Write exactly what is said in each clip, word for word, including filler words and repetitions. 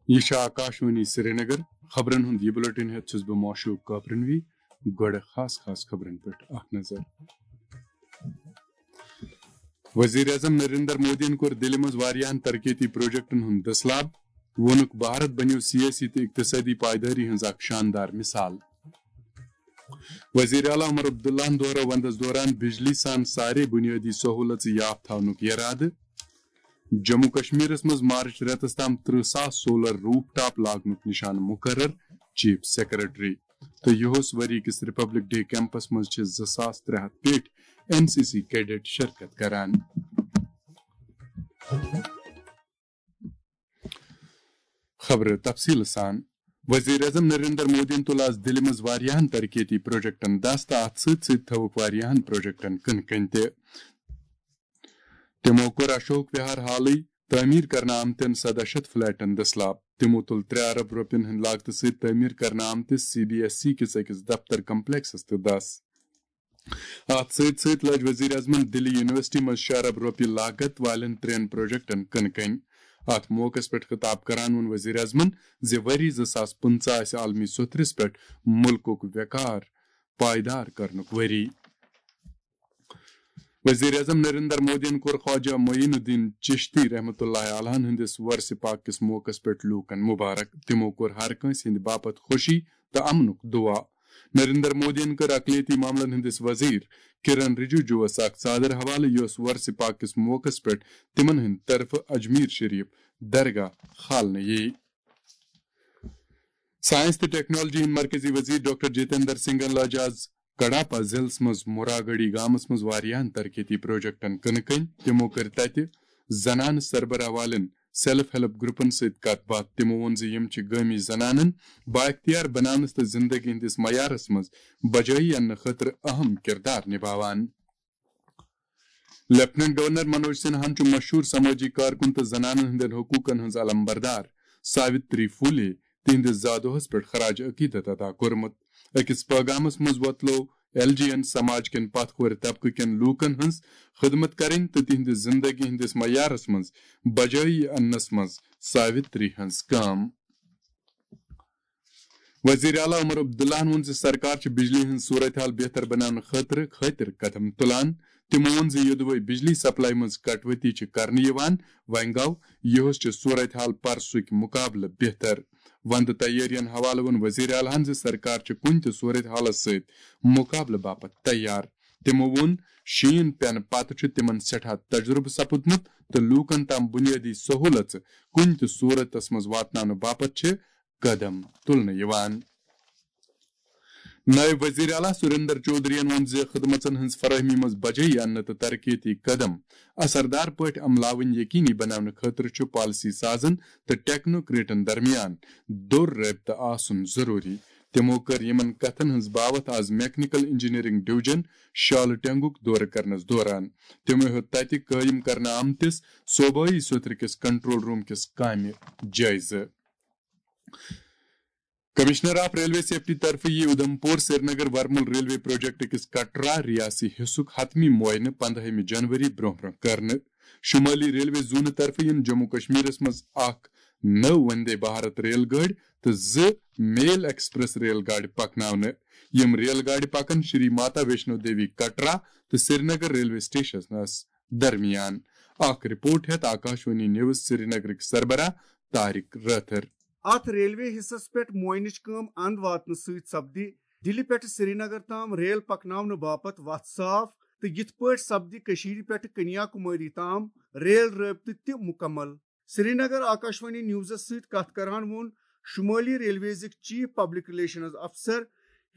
یہِ چھِ آکاشوانی سرینگر۔ خبرن ہُنٛد یہِ بلیٹن ہٮ۪تھ چھُس بہٕ معشوق کاپرنوی۔ گۄڈٕ خاص خاص خبرن پٮ۪ٹھ اکھ نظر۔ وزیر اعظم نریندر مودیَن کوٚر دِلہِ منٛز واریاہن ترقیتی پروجیکٹن ہُنٛد دٔسلاب۔ ووٚنُکھ، بھارت بنیو سیٲسی تہٕ اقتصٲدی پائیدٲری ہٕنٛز اکھ شاندار مثال۔ وزیر اعلیٰ عمر عبداللہَن دۄہرٲو وندس دوران بجلی سان سارے بنیٲدی سہولژٕ یافتہٕ تھاونُک یرادٕ۔ جموں کشمیرس منٛز مارچ رٮ۪تس تام ترٕہ ساس سولر روپ ٹاپ لاگنُک نشانہٕ مقرر، چیف سیکرٹری۔ تہٕ یِہُس ؤری کِس ریپبلک ڈے کیمپس منٛز چھِ زٕ ساس ترٛےٚ ہتھ پیٹھۍ این سی سی کیڈٹ شرکت کران۔ خبرٕ تفصیٖل سان۔ وزیر اعظم نریندر مودیَن تُل آز دِلہِ منٛز واریاہن ترقیتی پروجیکٹن دَس تہٕ اَتھ سۭتۍ سۭتۍ تھٲوٕکھ واریاہن پروجیکٹن کٕنہٕ کٔنۍ تہِ۔ تِمو کوٚر اشوک وہار ہالٕے تعمیٖر کرنہٕ آمتٮ۪ن سداہ شیٚتھ فلیٹن دٔسلاب۔ تِمو تُل ترٛےٚ ارب رۄپین ہٕنٛدِ لاگتہٕ سۭتۍ تعمیٖر کرنہٕ آمتِس سی بی ایس سی کِس أکِس دفتر کمپلیکسس تہِ دَس۔ اَتھ سۭتۍ سۭتۍ لٲج وزیر اعظمن دِلہِ یونیورسٹی منٛز شیٚے ارب رۄپیہِ لاگت والٮ۪ن ترٛٮ۪ن پروجیکٹن کٕنہٕ کٔنۍ۔ اَتھ موقعس پٮ۪ٹھ خطاب کران ووٚن وزیر اعظمن زِ ؤری زٕ ساس پٕنٛژٕہ آسہِ عالمی سوٚتھرِس پٮ۪ٹھ مُلکُک وقار پائیدار کرنُک ؤری۔ وزیر اعظم نریندر مودیَن کوٚر خواجہ معین الدین چشتی رحمتہ اللہ علیہ ہٕنٛدِس وۄرثہِ پاک کِس موقعس پٮ۪ٹھ لوٗکن مبارک۔ تِمو کوٚر ہر کٲنٛسہِ ہٕنٛدِ باپتھ خوشی تہٕ امنُک دعا۔ نریندر مودیَن کٔر اقلیتی معاملن ہٕنٛدِس وزیر کرن رجوجوَس اکھ ژادر حوالہٕ، یۄس وۄرثہِ پاک کِس موقعس پٮ۪ٹھ تِمن ہٕنٛدِ طرفہٕ اجمیر شریف درگاہ کھالنہٕ یِیہِ۔ ساینس تہٕ ٹیکنالوجی ہٕنٛدۍ مرکزی وزیر ڈاکٹر جتیندر سنگھن لٲج آز کڈاپا ضلعس منٛز مراگڑی گامس منٛز واریاہن ترقیتی پروجیکٹن کٕنہٕ کٔنۍ۔ تِمو کٔر تتہِ زنانہٕ سربراہ والٮ۪ن سیلف ہیلپ گروپن سۭتۍ کتھ باتھ۔ تِمو ووٚن زِ یِم چھِ گٲمی زنانن بااختیار بناونس تہٕ زندگی ہٕنٛدِس معیارس منٛز بجٲیی اننہٕ خٲطرٕ اہم کردار نباوان۔ لیفٹیننٹ گورنر منوج سنہاہن چھُ مشہوٗر سمٲجی کارکُن تہٕ زنانن ہٕنٛدٮ۪ن حقوٗقن ہٕنٛز علمبردار ساوتری پھولے تِہنٛدِس زا دۄہس پٮ۪ٹھ خراج عقیدت ادا کوٚرمُت۔ أکِس پٲغامس منٛز وۄتلوو ایل جی این سماج کٮ۪ن پتھ کھورِ طبقہٕ کٮ۪ن لوٗکن ہٕنٛز خدمت کرٕنۍ تہٕ تِہنٛدِ زندگی ہٕنٛدِس معیارس منٛز بجٲیی اننس منٛز ساوتری ہٕنٛز کٲم۔ وزیر اعلیٰ عمر عبداللہن ووٚن زِ سرکار چھِ بجلی ہٕنٛز صورتحال بہتر بناونہٕ خٲطرٕ خٲطر قدم تُلان۔ تِمو ووٚن زِ یوٚدوے بجلی سپلائی منٛز کٹوتی چھِ کرنہٕ یِوان، وۄنۍ گوٚو یِہُس چھِ صورتحال پرسُک مقابلہٕ بہتر۔ وندٕ تیٲرین حوالہٕ ووٚن وزیر اعلیٰ ہن زِ سرکار چھِ کُنہِ تہِ صورتحالس سۭتۍ مقابلہٕ باپتھ تیار۔ تِمو ووٚن، شیٖن پینہٕ پتہٕ چھُ تِمن سٮ۪ٹھاہ تجرُبہٕ سپُدمُت تہٕ لوٗکن تام بُنیٲدی سہوٗلژٕ کُنہِ تہِ صورتس منٛز واتناونہٕ باپتھ چھِ قدم تُلنہٕ یِوان۔ نٲیِب وزیر اعلیٰ سریندر چودھرین ووٚن زِ خدمژن ہٕنٛز فراہمی منٛز بجٲیی اننہٕ تہٕ ترقیتی قدم اثردار پٲٹھۍ عملاوٕنۍ یقینی بناونہٕ خٲطرٕ چھُ پالیسی سازن تہٕ ٹیکنوکریٹن درمیان دوٚر رٲبطہٕ آسُن ضروٗری۔ تِمو کٔر یِمن کتھن ہٕنٛز باوتھ آز میکینیکل انجینئرنگ ڈویژن شالہٕ ٹینگُک دورٕ کرنس دوران۔ تِمو ہیوٚت تتہِ قٲیِم کرنہٕ آمتِس صوبٲئی سوٚتھرٕ کِس کنٹرول روم کِس کامہِ جٲیزٕ۔ کمشنر آف ریلوے سیفٹی طرفہٕ یِیہِ اُدھمپور سرینگر ورمُل ریلوے پروجیکٹ کِس کٹرا ریاسی حصُک حتمی معائنہٕ پندہٲیمہِ جنوری برونٛہہ برونٛہہ کرنہٕ۔ شمٲلی ریلوے زونہٕ طرفہٕ یِن جموں کشمیرس منٛز اکھ نٔو وندے بھارت ریل گٲڑۍ تہٕ زٕ میل ایکسپریس ریل گاڑِ پکناونہٕ۔ یِم ریل گاڑِ پکن شری ماتا ویشنو دیوی کٹرا تہٕ سرینگر ریلوے سٹیشنس درمیان۔ اکھ رپورٹ ہیتھ آکاشوانی نیوز سرینگرٕکۍ سربراہ طارق رٲتھر۔ اتھ ریلوے حصس پٮ۪ٹھ معائنٕچ کٲم اند واتنہٕ سۭتۍ سپدِ دِلہِ پٮ۪ٹھ سرینگر تام ریل پکناونہٕ باپتھ وتھ صاف تہٕ یِتھ پٲٹھۍ سپدِ کٔشیٖرِ پٮ۪ٹھ کنیا کُماری تام ریل رٲبطہٕ تہِ مُکمل۔ سرینگر آکاشوانی نیوزس سۭتۍ کتھ کران ووٚن شمٲلی ریلویزٕکۍ چیف پبلک ریلیشنز افسر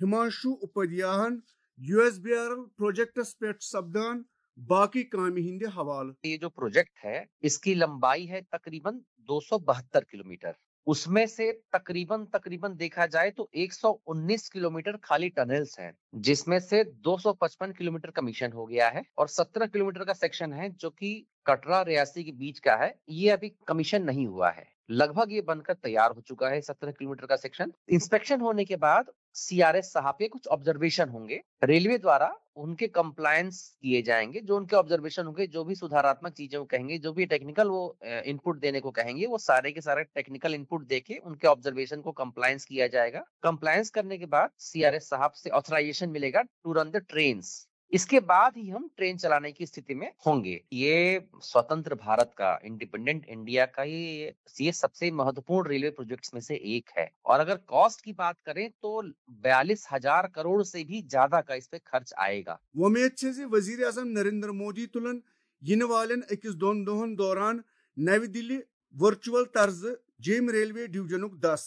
ہمانشو اپادھیاہن U S B R L projects پٮ۪ٹھ سپدان باقی کامہِ ہٕنٛدِ حوالہٕ۔ یہ جو پروجیکٹ ہے، اس کی لمبائی ہے تقریباً دو سو بہتر کلومیٹر۔ اس میں سے تقریباً تقریباً دیکھا جائے تو ایک سو انیس کلومیٹر خالی ٹنلز ہیں، جس میں سے دو سو پچپن کلومیٹر کمیشن ہو گیا ہے اور سترہ کلومیٹر کا سیکشن ہے جو کہ کٹرا ریاسی کے بیچ کا ہے، یہ ابھی کمیشن نہیں ہوا ہے۔ لگ بھگ یہ بن کر تیار ہو چکا ہے سترہ کلومیٹر کا سیکشن۔ انسپیکشن ہونے کے بعد سی آر ایس صاحب کے کچھ آبزرویشن ہوں گے۔ ریلوے دوارا उनके कंप्लायंस किए जाएंगे, जो उनके ऑब्जर्वेशन होंगे, जो भी सुधारात्मक चीजें वो कहेंगे, जो भी टेक्निकल वो इनपुट देने को कहेंगे, वो सारे के सारे टेक्निकल इनपुट देके उनके ऑब्जर्वेशन को कंप्लायंस किया जाएगा। कंप्लायंस करने के बाद सीआरएस साहब से ऑथराइजेशन मिलेगा टू रन द ट्रेन्स। इसके बाद ही हम ट्रेन चलाने की स्थिति में होंगे। ये स्वतंत्र भारत का, इंडिपेंडेंट इंडिया का ये ये सबसे महत्वपूर्ण रेलवे प्रोजेक्ट्स में से एक है। और अगर कॉस्ट की बात करें तो बयालीस हजार करोड़ से भी ज्यादा का इस पे खर्च आएगा। وۄمید چھِ زِ وزیر اعظم نریندر مودی تُلن یِنہٕ والٮ۪ن أکِس دۄن دۄہن دوران نوِ دِلہِ ورچوئل طرزٕ جیٚمۍ ریلوے ڈویژنُک دس۔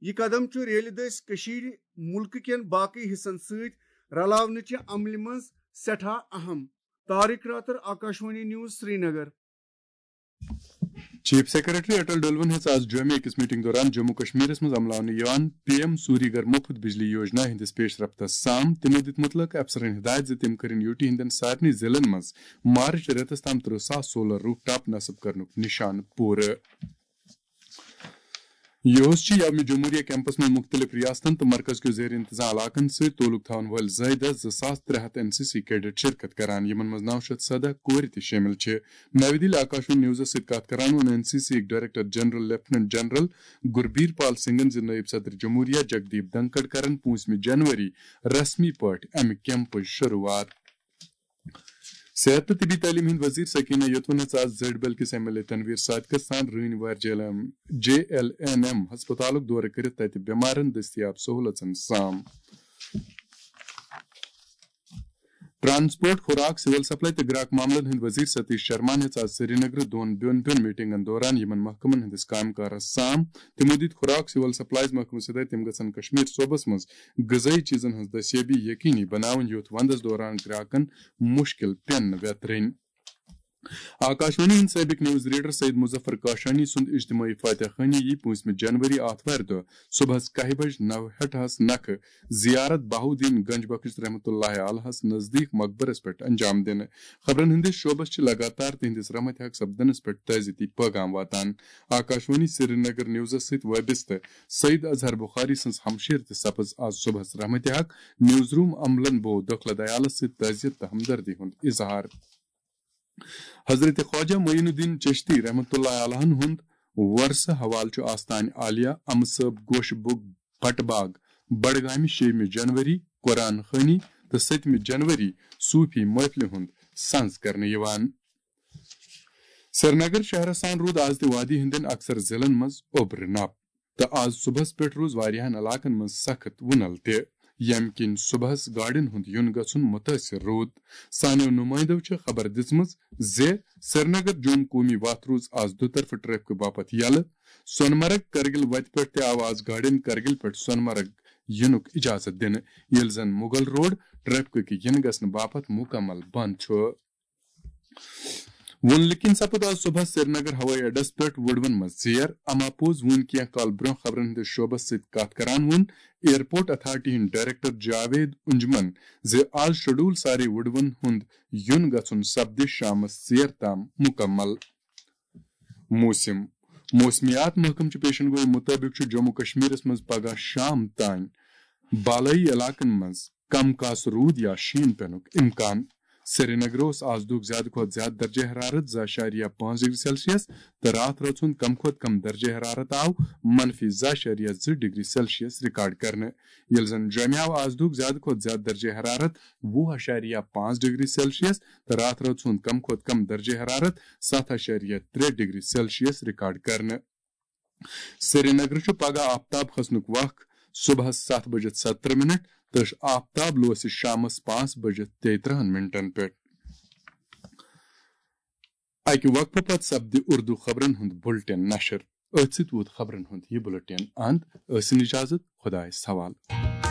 یہِ قدم چھُ ریلہِ دٔسۍ کٔشیٖرِ مُلکہٕ کٮ۪ن باقٕے حصن سۭتۍ رلاونہٕ چہِ عملہِ منٛز سٮ۪ٹھاہ اہم۔ Tariq Rather, Akashvani news, Srinagar. Chief secretary Atal Dulloo ہیٚژ آز جوٚمہِ أکِس میٹنگ دوران جموں کشمیرس منٛز عملاونہٕ یِوان پی ایم سوری گھر مُفت بجلی یوجنا ہٕنٛدِس پیش رفتس سام۔ تِمو دِتۍ مُتلقہٕ افسرن ہدایت زِ تِم کٔرِن یوٗٹی ہٕنٛدٮ۪ن سارنٕے ضلعن منٛز مارچ رٮ۪تس تام ترٕہ ساس سولر روف ٹاپ نصب کرنُک نِشانہٕ پوٗرٕ۔ یوس چھِ یومِ جمہوریہ کیمپس منٛز مُختٔلِف ریاستن تہٕ مرکز کیو زیر انتظام علاقن سۭتۍ تعلق تھاون وٲلۍ زٲیدٕ زٕ ساس ترٛےٚ ہتھ این سی سی کیڈٹ شرکت کران، یِمن منٛز نو شیٚتھ سدہ کورِ تہِ شٲمِل چھِ۔ نَوِ دِلہِ آکاشوانی نیوزس سۭتۍ کتھ کران ووٚن این سی سی یِکۍ ڈائریکٹر جنرل لیفٹیننٹ جنرل گربیر پال سنگھن زِ نٲیِب صدر جمہوریہ جگدیپ دھنکھڑ کرن پوٗنٛژمہِ جنوری رسمی پٲٹھۍ امہِ کیمپٕچ شروٗعات۔ صحت تہٕ طبی تعلیٖم ہٕنٛدۍ وزیر سکینہ یوتون ہیٚژ آز زٔڈۍ بل کِس ایم ایل اے تنویر صادقس سان رٲنۍ وارِ J L M J L N M ہسپتالُک دورٕ کٔرِتھ تتہِ بٮ۪مارن دٔستیاب سہوٗلژن سام۔ ٹرانسپورٹ، خوراک، سول سپلائی تہٕ گراک معاملن ہٕنٛدۍ وزیر ستیش شرمان ہیٚژ آز سرینگرٕ دۄن بیوٚن بیوٚن میٹنگن دوران یِمن محکمن ہٕنٛدِس کامہِ کارس سام۔ تِمو دِتۍ خوراک سول سپلائیز محکمہٕ سۭتۍ تِم گژھن کشمیر صوبس منٛز غذٲیی چیزن ہٕنٛز دستیابی یقینی بناوٕنۍ، یُتھ ونٛدس دوران گراکن مُشکِل پٮ۪ن نہٕ ویترٕنۍ۔ آکاشوانی ہٕنٛدۍ سٲبِق نیوز ریڈر سید مظفر کاشانی سُنٛد اجتماعی فاتح خانی یی پوٗنٛژمہِ جنوری آتھوارِ دۄہ صبحس کاہہِ بجہِ نو ہٹہس نکھٕ زیارت بہاؤالدین گنج بخش رحمتہ اللہ علیہس نزدیٖک مقبرس پٮ۪ٹھ انجام دِنہٕ۔ خبرن ہٕنٛدِس شعبس چھِ لگاتار تِہنٛدِس رحمتِ حق سپدنس پٮ۪ٹھ تعزیتی پٲغام واتان۔ آکاشوانی سرینگر نیوزس سۭتۍ وابستہٕ سید اظہر بخاری سٕنٛز ہمشیر تہِ سپٕز آز صبحس رحمتِ حق۔ نیوز روم عملن بوو دۄکھلہٕ دیالس سۭتۍ تعزیت تہٕ ہمدردی ہُنٛد اظہار۔ حضرت خواجہ معین الدین چشتی رحمتہ اللہ علیہن ہُنٛد ورثہٕ حوالہٕ چھُ آستانہِ عالیہ، امہٕ صٲب، گوشہٕ بُک، بٹہٕ باغ، بڈگامہِ شیٚیِمہِ جنوری قرآن خوانی تہٕ سٔتمہِ جنوری صوفی محفلہِ ہُنٛد سنز کرنہٕ یِوان۔ سرینگر شہرس سان روٗد آز تہِ وادی ہٕنٛدٮ۪ن اکثر ضلعن منٛز اوٚبرٕ نپ تہٕ آز صبحس پٮ۪ٹھ روٗز واریاہن علاقن منٛز سخت وُنل تہِ، ییٚمہِ کِنۍ صبحس گاڑٮ۪ن ہُنٛد یُن گژھُن مُتٲثر روٗد۔ سانیو نُمٲیندو چھِ خبر دِژمٕژ زِ سرینگر جوم قومی وتھ روٗز آز دُطرفہٕ ٹریفکہٕ باپتھ یلہٕ۔ سونمرگ کرگل وتہِ پٮ۪ٹھ تہِ آو آز گاڑٮ۪ن کرگل پٮ۪ٹھ سونمرگ یِنُک اجازت دِنہٕ، ییٚلہِ زن مغل روڈ ٹریفکہٕ کہِ یِنہٕ گژھنہٕ باپتھ مُکمل بند چھُ۔ وُنلکِن سپُد آز صبحس سرینگر ہوٲیی اڈس پٮ۪ٹھ وُڈوَن منٛز ژیر۔ اما پوٚز وُنۍ کینٛہہ کال برٛونٛہہ خبرن ہٕنٛدِس شعبس سۭتۍ کتھ کران ووٚن ایئرپورٹ اتھارٹی ہٕنٛدۍ ڈائریکٹر جاوید انجمن زِ آز شیڈول سارے وُڈوَن ہُنٛد یُن گژھُن سپدِ شامس ژیر تام مُکمل۔ موسم۔ موسمیات محکمہٕ چہِ پیشن گوئی مُطٲبِق چھُ جموں کشمیرس منٛز پگہہ شام تام بالٲیی علاقن منٛز کم کاس روٗد یا شیٖن پینُک امکان۔ سرینگر اوس آز دُک زیادٕ کھۄتہٕ زیادٕ درجہ حرارت زٕ اَشاریہ پانٛژھ ڈگری سیلسیس تہٕ راتھ رٲژ ہُنٛد کم کھۄتہٕ کم درجہ حرارت آو منفی زٕ اَشاریہ زٕ ڈگری سیلسیس ریکارڈ کرنہٕ، ییٚلہِ زن جوٚمہِ آو آز دُک زیادٕ کھۄتہٕ زیادٕ درجہ حرارت وُہ اَشاریہ پانٛژھ ڈگری سیلسیس تہٕ راتھ رٲژ ہُنٛد کم کھۄتہٕ کم درجہ حرارت ستھ اَشاریہ ترٛےٚ ڈگری سیلسیس ریکارڈ کرنہٕ۔ سرینگرٕ چھُ پگہہ آفتاب کھسنُک وق صبحس ستھ بجِتھ ستترہ منٹ تہٕ آفتاب لوسہِ شامس پانٛژھ بجِتھ تیٚیہِ ترٕہن منٹن پٮ۪ٹھ۔ اکہِ وقفہٕ پتہٕ سپدِ اردو خبرن ہُنٛد بُلٹن نشر۔ أتھۍ سۭتۍ ووت خبرن ہُنٛد یہِ بُلٹن اند۔ ٲسِن اجازت، خدایس حوالہٕ۔